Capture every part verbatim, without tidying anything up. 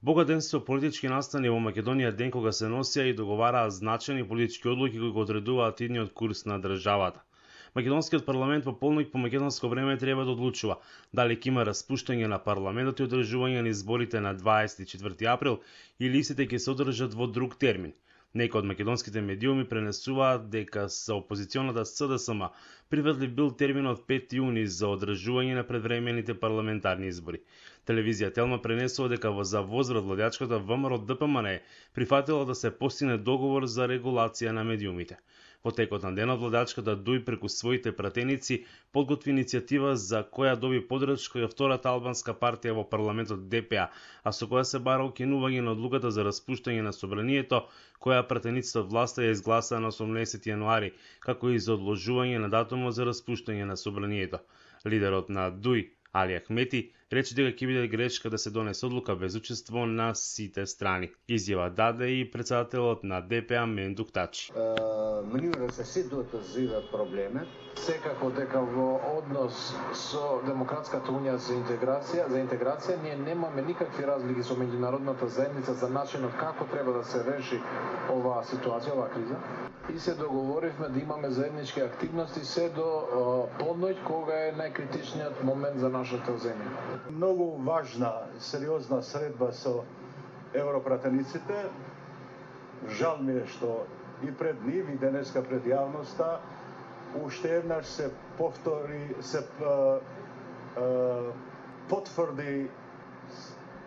Богат ден со политички настани во Македонија, ден кога се носија и договараа значајни политички одлуки кои го одредуваат идниот курс на државата. Македонскиот парламент во полноќ по македонско време треба да одлучува дали ќе има распуштање на парламентот и одржување на изборите на дваесет и четврти април или истите ќе се одржат во друг термин. Некои од македонските медиуми пренесуваат дека со опозиционата С Д С М приведлив бил терминот пети јуни за одржување на предвремените парламентарни избори. Телевизија Телма пренесува дека во за возврат владеачката В М Р Д П М Н прифатила да се постигне договор за регулација на медиумите. Во текот на денот владеачката Дуј преку своите пратеници подготви иницијатива за која доби поддршка и втората албанска партија во парламентот Д П А, а со која се бара укинување на одлуката за распуштање на собранието, која пратениците од власта ја изгласаа на осумнаесети јануари, како и за одложување на датумот за распуштање на собранието. Лидерот на Дуј, Али Ахмети, рече дека ќе биде грешка да се донесе одлука без учество на сите страни. Изјава даде и председателот на Д П А Мендук Тачи. Мнивра се ситуата зива проблеме. Секако дека во однос со Демократската унија за интеграција, за интеграција ние немаме никакви разлики со меѓународната заедница за начинот како треба да се реши оваа ситуација, оваа криза. И се договоривме да имаме заеднички активности се до подноќ кога е најкритичниот момент за нашата земја. Многу важна, сериозна средба со европратениците. Жал ми е што и пред нив и денеска пред јавноста уште еднаш се повтори, се а, а, потврди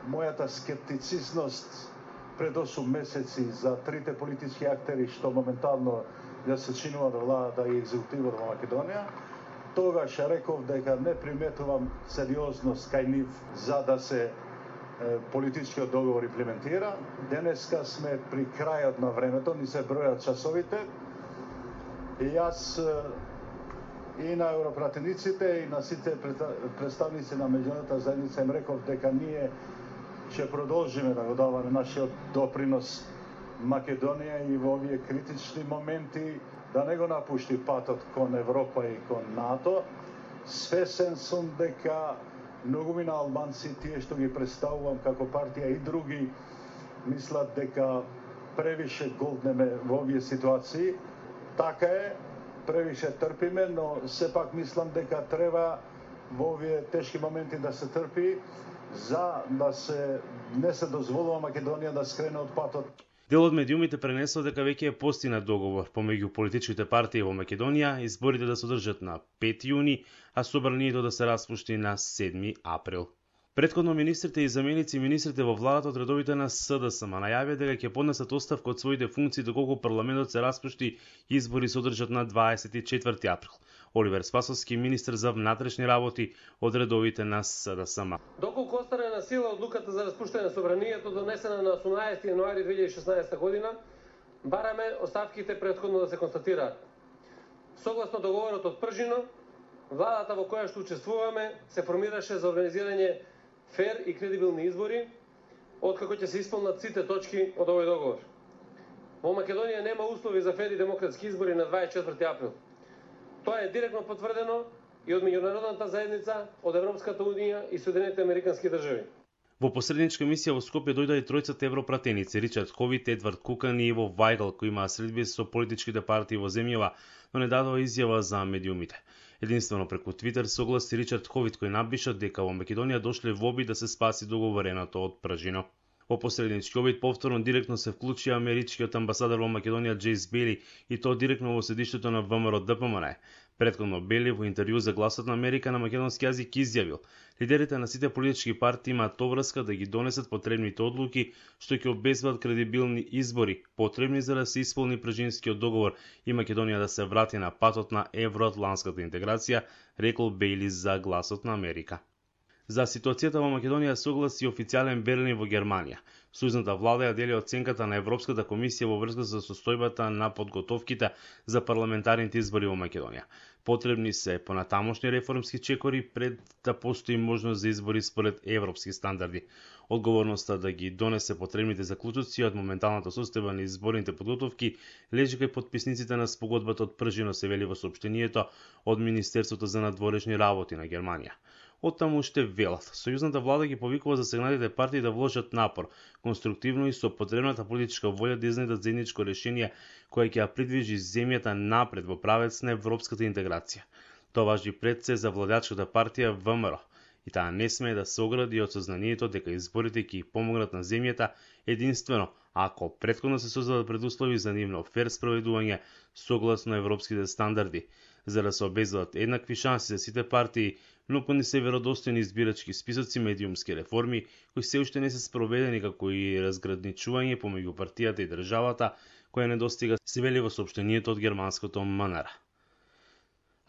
мојата скептицизност пред осум месеци за трите политички актери што моментално ја се чинуваат владата и екзекутивот во Македонија. Тогаш реков дека не приметувам сериозност кај нив за да се е, политичкиот договор имплементира. Денеска сме при крајот на времето, ни се бројат часовите. И јас и на европратениците и на сите представници на меѓународната заедница им реков дека ние ќе продолжиме да го даваме нашиот допринос Македонија и во овие критични моменти да не го напушти патот кон Европа и кон НАТО. Свесен сум дека многумина албанци, тие што ги представувам како партија и други, мислат дека превише голднеме во овие ситуации. Така е, превише трпиме, но сепак мислам дека треба во овие тешки моменти да се трпи за да се не се дозволува Македонија да скрене од патот. Дел од медиумите пренесува дека веќе е постигнат договор помеѓу политичките партии во Македонија, изборите да се одржат на пети јуни, а собранието да се распушти на седми април. Претходно министрите и заменици министрите во владата од редовите на С Д С М најавија дека ќе поднесат оставка од своите функции доколку парламентот се распушти и избори се одржат на дваесет и четврти април. Оливер Спасовски, министер за внатрешни работи од редовите на С Д С М. Доколку остане на сила одлуката за распуштање на собранието донесена на осумнаесети јануари две илјади и шеснаесета година, бараме оставките претходно да се констатираат. Согласно договорот од Пржино, владата во која што учествуваме се формираше за организирање фер и кредибилни избори, откако ќе се исполнат сите точки од овој договор. Во Македонија нема услови за фер и демократски избори на дваесет и четврти април. Тоа е директно потврдено и од меѓународната заедница, од Европската унија и Соединетите американски држави. Во посредничка мисија во Скопје дојдоа и тројцата европратеници Ричард Ховит, Едвард Кукан и Иво Вајгл, кои имаа средби со политичките партии во земјава, но не дадоа изјава за медиумите. Единствено преку Твитер согласи Ричард Ховит, кој напиша дека во Македонија дошле во обид да се спаси договореното од Пржино. Во посреднички обид повторно директно се вклучи америчкиот амбасадор во Македонија Џејс Бели и тоа директно во седиштето на В М Р Д П М Н. Претходно Бели во интервју за Гласот на Америка на македонски јазик изјавил: лидерите на сите политички партии имаат обврска да ги донесат потребните одлуки што ќе обезбедат кредибилни избори, потребни за да се исполни Пржинскиот договор и Македонија да се врати на патот на евроатланската интеграција, рекол Бейли за Гласот на Америка. За ситуацијата во Македонија согласи официјален Берлин во Германија. Сојузната влада ја дели оценката на Европската комисија во врска со состојбата на подготовките за парламентарните избори во Македонија. Потребни се понатамошни реформски чекори пред да постои можност за избори според европски стандарди. Одговорноста да ги донесе потребните заклучоци од моменталната состојба на изборните подготовки лежи кај потписниците на спогодбата од Пржино, се вели во соопштението од Министерството за надворешни работи на Германија. Оттаму уште велат. Сојузната влада ги повикува засегнатите партии да вложат напор, конструктивно и со потребната политичка волја да изнедат заедничко решение кое ќе ја придвижи земјата напред во правец на европската интеграција. Тоа важи пред се за владеачката партија В М Р, и таа не смее да се огради од сознанието дека изборите ќе ја помогнат на земјата единствено ако претходно се создадат предуслови за нивно фер спроведување согласно европските стандарди, за да се обезбедат еднакви шанси за сите партии, но не се веродостојни избирачки списоци, медиумски реформи кои се уште не се спроведени, како и разграничување помеѓу партијата и државата која не достига, се вели во соопштението од германското М Н Р.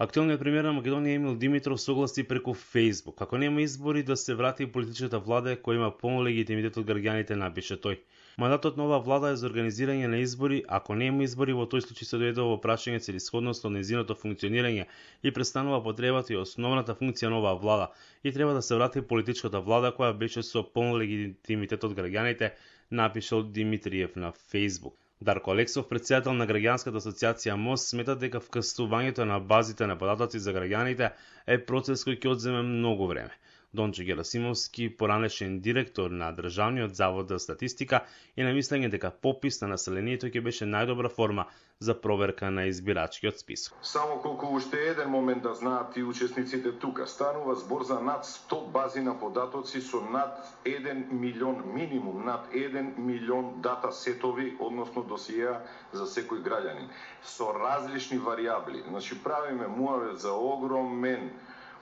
Актуелниот премиер на Македонија Емил Димитров согласи преку Facebook како нема избори да се врати политичката влада која има полн легитимитет од граѓаните, напише тој. Мандатот на оваа влада е за организирање на избори, ако нема избори во тој случај се дојде во прашање целисходност од нејзиното функционирање и престанува потребата и основната функција на оваа влада и треба да се врати политичката влада која беше со полн легитимитет од граѓаните, напишал Димитриев на Facebook. Дарко Алексов, председател на граѓанската асоциација МОС, смета дека вкрстувањето на базите на податоци за граѓаните е процес кој ќе одземе многу време. Дончо Герасимовски, поранешен директор на Државниот завод за статистика, и на мислење дека попис на населението ќе беше најдобра форма за проверка на избирачкиот список. Само колку уште еден момент да знаат и учесниците тука, станува збор за над сто бази на податоци со над еден милион, минимум над еден милион дата сетови, односно досиеа за секој граѓанин, со различни варијабли. Значи правиме муавет за огромен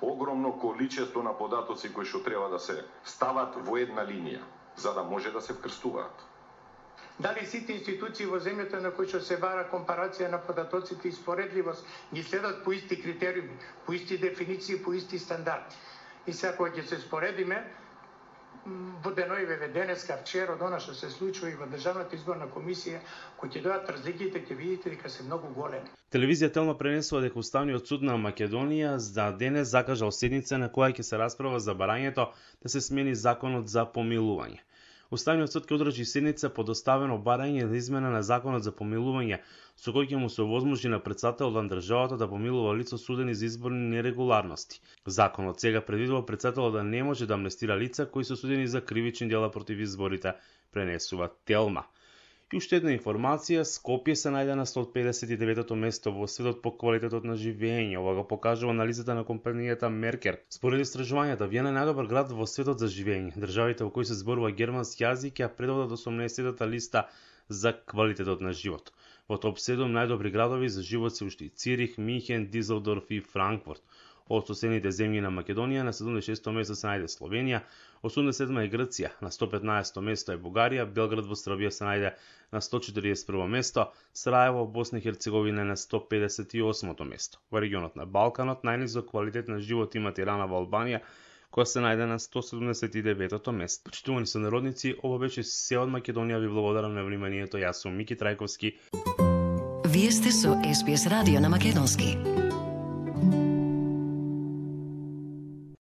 огромно количество на податоци кои што треба да се стават во една линија, за да може да се вкрстуваат. Дали сите институции во земјата на кои што се бара компарација на податоците и споредливост ги следат по исти критериуми, по исти дефиниции, по исти стандарди. И сега кога ќе се споредиме, во деноиве денеска, вчера, од она што се случува и во Државната изборна комисија, кои ќе дојдат разликите, ќе видите дека се многу големи. Телевизија Телма пренесува дека Уставниот суд на Македонија за денес закажал седница на која ќе се расправа за барањето да се смени законот за помилување. Уставниот суд ќе одржи седница по доставено барање за измена на законот за помилување, со кој ќе му се овозможи на претседателот на државата да помилува лица осудени за изборни нерегуларности. Законот сега предвидува претседателот да не може да амнестира лица кои се осудени за кривични дела против изборите, пренесува Телма. И уште една информација, Скопје се најде на сто педесет и деветото место во светот по квалитетот на живење. Ова го покажува анализата на компанијата Меркер. Според истражувањата, Виена е најдобар град во светот за живење. Државите во кои се зборува германски јазик ја предводат осумнаесеттата листа за квалитетот на живот. Во топ седум најдобри градови за живот се уште Цирих, Михен, Дизелдорф и Франкфурт. Од соседните земји на Македонија на седумдесет и шесто место се најде Словенија, осумдесет и седма е Грција, на сто петнаесетто место е Бугарија, Белград во Србија се најде на сто четиридесет и прво место, Сараево во Босна и Херцеговина на сто педесет и осмо место. Во регионот на Балканот најнизок квалитет на живот има Тирана во Албанија, која се најде на сто седумдесет и деветото место. Почитувани сонародници, ова беше се од Македонија. Ви благодарам на вниманието. Јас сум Мики Трајковски. Вие сте со Ес Би Ес радио на македонски.